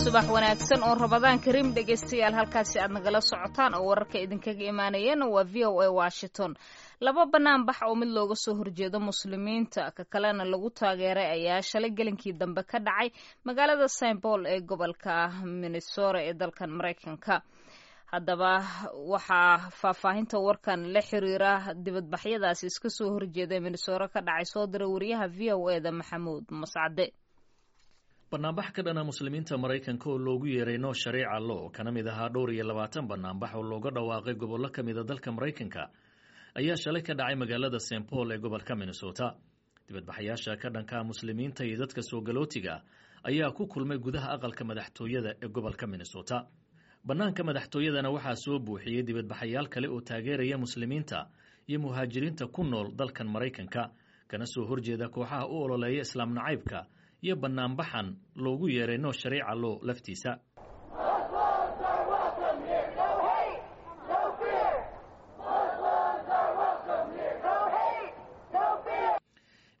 Subax wanaagsan oo Ramadaan kariim, dhegaystayaal. Halkaasi aad nagala socotaan oo wararka idinkaga imaanayeen waa VOA Washington. Laba banaanbax oo mid looga soo horjeedo Muslimiinta, ka kalena lagu taageeray, ayaa shalay gelinkii dambe ka dhacay magaalada St Paul ee gobolka Minnesota ee dalkan Maraykanka. Haddaba, waxaa faahfaahinta warkan la xiriira dibadbaxyadaasi iska soo horjeeda Minnesota ka dhacay soo diray wariyaha VOA-da, Maxamuud Mascade. Banaanbax ka dhana Muslimiinta Maraykanka oo loogu yeeray No Sharia Law, kana mid ahaa dhowr iyo labaatan banaanbax oo looga dhawaaqay gobollo ka mida dalka Maraykanka, ayaa shalay ka dhacay magaalada St Paul ee gobolka Minnesota. Dibadbaxayaasha ka dhanka Muslimiinta iyo dadka soo galootiga ayaa ku kulmay gudaha aqalka madaxtooyada ee gobolka Minnesota. Bannaanka madaxtooyadana waxaa soo buuxiyey dibadbaxayaal kale oo taageeraya Muslimiinta iyo muhaajiriinta ku nool dalkan Maraykanka, kana soo horjeeda kooxaha u ololeeya Islaam nacaybka iyo banaanbaxan loogu yeeray No Sharia Law laftiisa.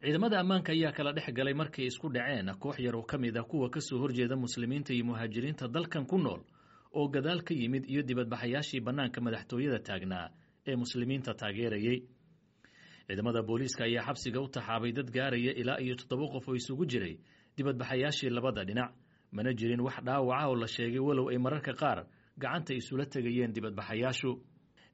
Ciidamada ammaanka ayaa kala dhex galay markay isku dhaceen koox yar oo ka mid ah kuwa ka soo horjeeda Muslimiinta iyo muhaajiriinta dalkan ku nool oo gadaal ka yimid iyo dibadbaxayaashii bannaanka madaxtooyada taagnaa ee Muslimiinta taageerayey. Ciidamada booliiska ayaa xabsiga u taxaabay dad gaaraya ilaa iyo 7 qof oo isugu jiray dibadbaxayaashii labada dhinac. Mana jirin wax dhaawaca oo la sheegay, walow ay mararka qaar gacanta isula tegayeen dibadbaxayaashu.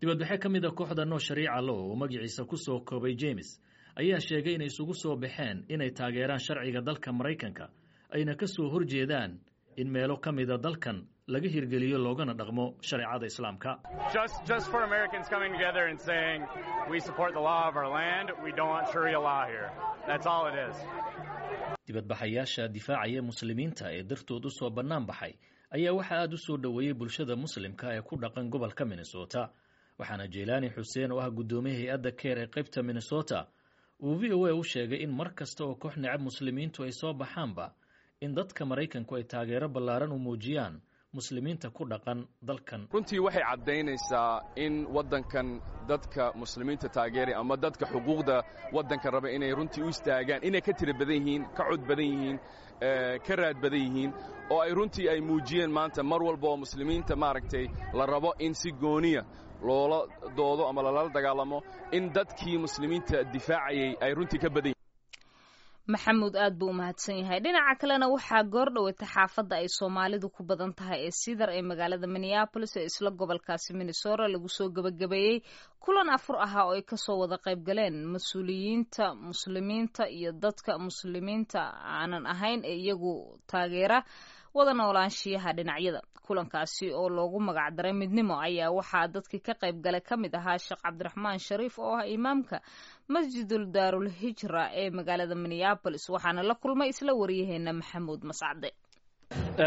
Dibadbaxe ka mid a kooxda No Sharia Law oo magaciisa ku soo koobay James ayaa sheegay inay isugu soo baxeen inay taageeraan sharciga dalka Maraykanka, ayna ka soo horjeedaan in meelo ka mida dalkan laga hirgeliyo loogana dhaqmo shareecada Islaamka. Just for Americans coming together and saying we support the law of our land, we don't want Sharia law here. That's all it is. Dibadbaxayaasha difaacaya Muslimiinta ee dartood u soo bannaan baxay ayaa waxaa aad u soo dhoweeyey bulshada Muslimka ee ku dhaqan gobolka Minnesota, waxaana Jeylaani Xuseen, oo ah guddoomiye hay-adda CAIR ee qaybta Minnesota, uu VOA u sheegay in mar kasta oo koox necab Muslimiintu ay soo baxaanba, in dadka Maraykanku ay taageero ballaaran u muujiyaan Muslimiinta ku dhaqan dalkan. Runtii waxay caddaynaysaa in waddankan dadka Muslimiinta taageeray ama dadka xuquuqda waddanka raba inay runtii u istaagaan inay ka tira badan yihiin, ka cod badan yihiin, ka raad badan yihiin, oo ay runtii ay muujiyeen maanta mar walba oo Muslimiinta, maaragtay, la rabo in si gooniya loola doodo ama lalala dagaalamo, in dadkii Muslimiinta difaacayay ay runtii ka badan. Maxamuud aad buu u mahadsan yahay. Dhinaca kalena, waxaa goor dhoweyta xaafadda ay Soomaalidu ku badan tahay ee Cedar ee magaalada Minneapolis ee isla gobolkaasi Minnesota lagu soo gebagabeeyey kulan afur ahaa oo ay kasoo wada qayb galeen mas-uuliyiinta Muslimiinta iyo dadka Muslimiinta aanan ahayn ee iyagu taageera wada noolaanshiyaha dhinacyada. Kulankaasi oo loogu magacdaray Midnimo ayaa waxaa dadkii ka qayb galay ka mid ahaa Sheekh Cabdiraxmaan Shariif, oo ah imaamka Masjidul Daarul Hijra ee magaalada Minneapolis, waxaana la kulmay isla wariyaheena Maxamuud Mascade.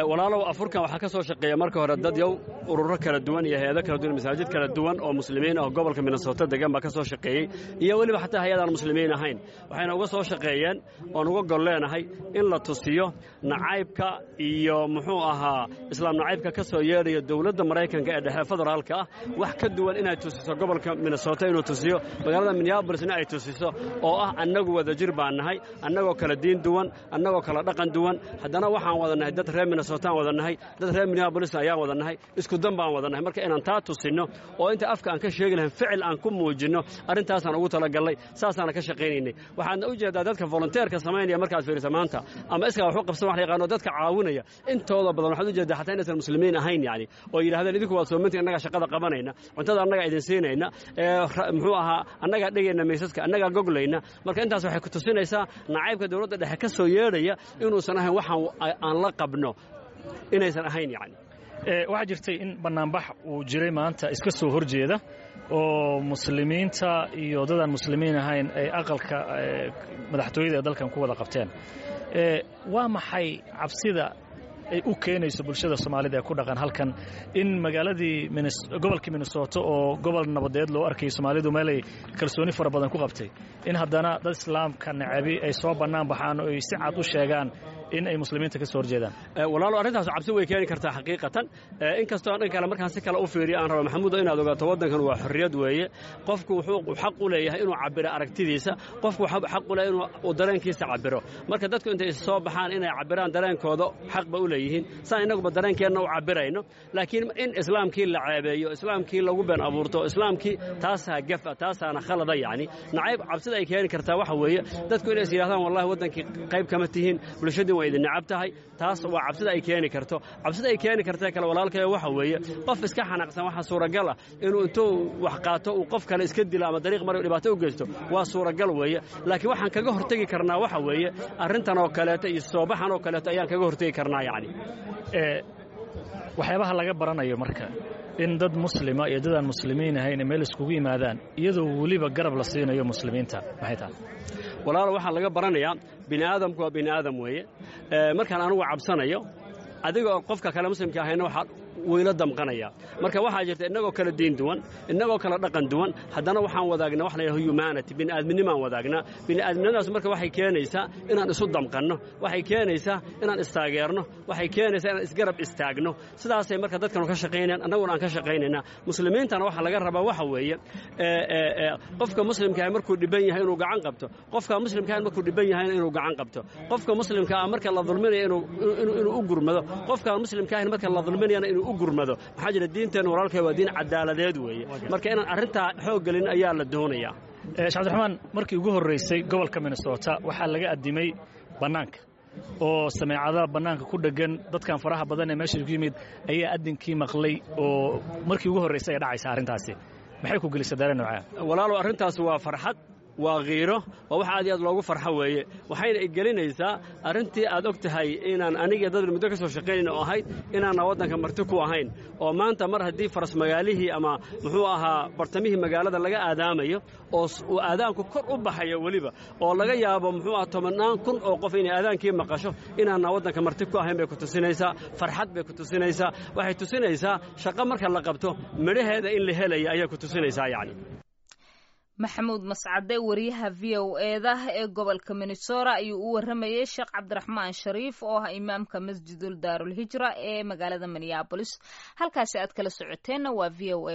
Walaalow, afurkan waxaa ka soo shaqeeya marka hore dad yow ururo kala duwan iyo hay-ado kala duwan, masaajid kala duwan oo Muslimiin ah oo gobolka Minnesota degan baa ka soo shaqeeyey, iyo weliba xataa hay-adaan Muslimiin ahayn. Waxayna uga soo shaqeeyeen oon uga gol leenahay in la tusiyo nacaybka iyo, muxuu ahaa, Islaam nacaybka ka soo yeedhaya dowladda Maraykanka ee dhexe federaalka ah wax ka duwan inay tusiso gobolka Minnesota, inuu tusiyo magaalada Minneapolisna ay tusiso, oo ah annagu wadajir baan nahay, annagoo kala diin duwan, annagoo kala dhaqan duwan, haddana waxaan wada nahay dad reer Minnesotaan wada nahay, dad reer Minneapolis ayaan wada nahay, isku dan baan wada nahay. Marka inaan taa tusinno oo inta afka aan ka sheegi lahayn ficil aan ku muujinno, arrintaasaan ugu talagallay, saasaana ka shaqaynaynay. Waxaadna u jeedaa dadka volunteerka samaynaya markaad fiirisa maanta ama iskaa wax u qabsan wax la yaqaano, dadka caawinaya intooda badan waxaad u jeedaa xataa inaysan Muslimiin ahayn, yacni oo yidhahdeen: "Idinku waad soomantiin, annagaa shaqada qabanayna, cuntada annagaa idin siinayna, muxuu ahaa, annagaa dhegayna miisaska, annagaa goglayna." Marka intaas waxay ku tusinaysaa nacaybka dowladda dhexe ka soo yeedhaya inuusan ahayn waxaan aan la qabno inaysan ahayn yacni. Waxaa jirtay in bannaanbax uu jiray maanta iska soo horjeeda oo Muslimiinta iyo dadaan Muslimiin ahayn ay aqalka madaxtooyada ee dalkan ku wada qabteen. Waa maxay cabsida ay u keenayso bulshada Soomaalida ee ku dhaqan halkan in magaaladii gobolkii Minnesota, oo gobol nabadeed loo arkayay, Soomaalidu meelay kalsooni fara badan ku qabtay, in haddana dad Islaamka nacabi ay soo bannaan baxaan oo ay si cad u sheegaan In ay muslimiinta ka soo horjeedaan. Walaalo, arrintaas cabsi way keeni kartaa xaqiiqatan, inkastoo dhan kale markaan si kale u fiiriyo aan rabo, Maxamuudo, inaad ogaato waddankan waa xorriyad weeye. Qofku wuxuu xaq u leeyahay inuu cabiro aragtidiisa. Qofku xaq u leeyahay inuu dareenkiisa cabiro. Marka dadku intay is soo baxaan inay cabiraan dareenkooda xaq ba u leeyihiin, saan innaguba dareenkeenna u cabirayno. Laakiin in islaamkii la ceebeeyo, islaamkii lagu been abuurto, islaamkii, taasaa gafa, taasaana khalada. Yacni nacayb cabsida ay keeni kartaa waxa weeye dadku inay is yidhahdaan, "Wallahi waddankii qayb kama tihiin, bulshadii waa idin necab tahay." Taas waa cabsida ay keeni karto. Cabsida ay keeni kartee kale, walaalkayo, waxa weeye qof iska xanaaqsan waxaa suuragal ah inuu intuu wax qaato uu qof kale iska dilo ama dariiq mara dhibaato u geysto. Waa suuragal weeye, laakiin waxaan kaga hortegi karnaa waxa weeye arrintan oo kaleeto iyo soobaxan oo kaleeto ayaan kaga hortegi karnaa yacni. Waxyaabaha laga baranayo marka in dad muslima iyo dad aan muslimiin ahayn meel iskugu yimaadaan, iyadoo weliba garab la siinayo muslimiinta, maxay tahay? Walaalo, waxaa laga baranayaa bini aadamku waa bini aadam weeye. Markaan anugu cabsanayo, adiga oo qofka kale muslimka ahayna waxaa wayla damqanaya. Marka waxaa jirta innagoo kala diin duwan, innagoo kala dhaqan duwan, haddana waxaan wadaagnaa wax la yidhaho humanity, bini'aadminimaan wadaagnaa. Bini'aadminimadaas marka waxay keenaysaa inaan isu damqanno, waxay keenaysaa inaan istaageerno, waxay keenaysaa inaan isgarab istaagno. Sidaasay marka dadkanu ka shaqaynayaan, annaguna aan ka shaqaynaynaa. Muslimiintana waxaa laga rabaa waxa weeye qofka muslimka ah markuu dhiban yahay inuu gacan qabto, qofka muslimka ah markuu dhiban yahayna inuu gacan qabto, qofka muslimka ah marka la dulminayo inuu u gurmado, qofka muslimka ahna marka la dulminayana inuu u gurmado. Maxaa jira, diinteenna, walaalkay, waa diin cadaaladeed weeye. Marka inaan arrintaa xoog gelin ayaa la doonayaa. Sheekh Cabdiraxmaan, markii ugu horraysay gobolka Minnesota waxaa laga addimay bannaanka oo sameecadaha bannaanka ku dheggan. Dadkan faraha badan ee meesha ku yimid ayaa addinkii maqlay, oo markii ugu horraysay ay dhacaysa arrintaasi. Maxay ku gelisay dareen noocaa? Walaalow, arrintaas waa farxad, waa khiiro, waa wax aad iyo aad loogu farxo weeye. Waxayna igelinaysaa arrintii aad og tahay inaan aniga dad muddo ka soo shaqaynayn oo ahayd inaanna waddanka marti ku ahayn, oo maanta mar haddii faras magaalihii ama muxuu ahaa bartamihii magaalada laga aadaamayo oo uu aadaanku kor u baxayo weliba, oo laga yaabo muxuu aha 10,000 oo qof inay aadaankii maqasho, inaanna waddanka marti ku ahayn bay ku tusinaysaa. Farxad bay ku tusinaysaa. Waxay tusinaysaa shaqo marka la qabto midhaheeda in la helaya ayay ku tusinaysaa yacni. Maxamuud Mascade, wariyaha VOA-da ee gobolka Minnesota, ayuu u waramayey Sheekh Cabdiraxmaan Shariif oo ah imaamka Masjidul Daarulhijra ee magaalada Minneapolis. Halkaasi aad kala socoteenna waa VOA.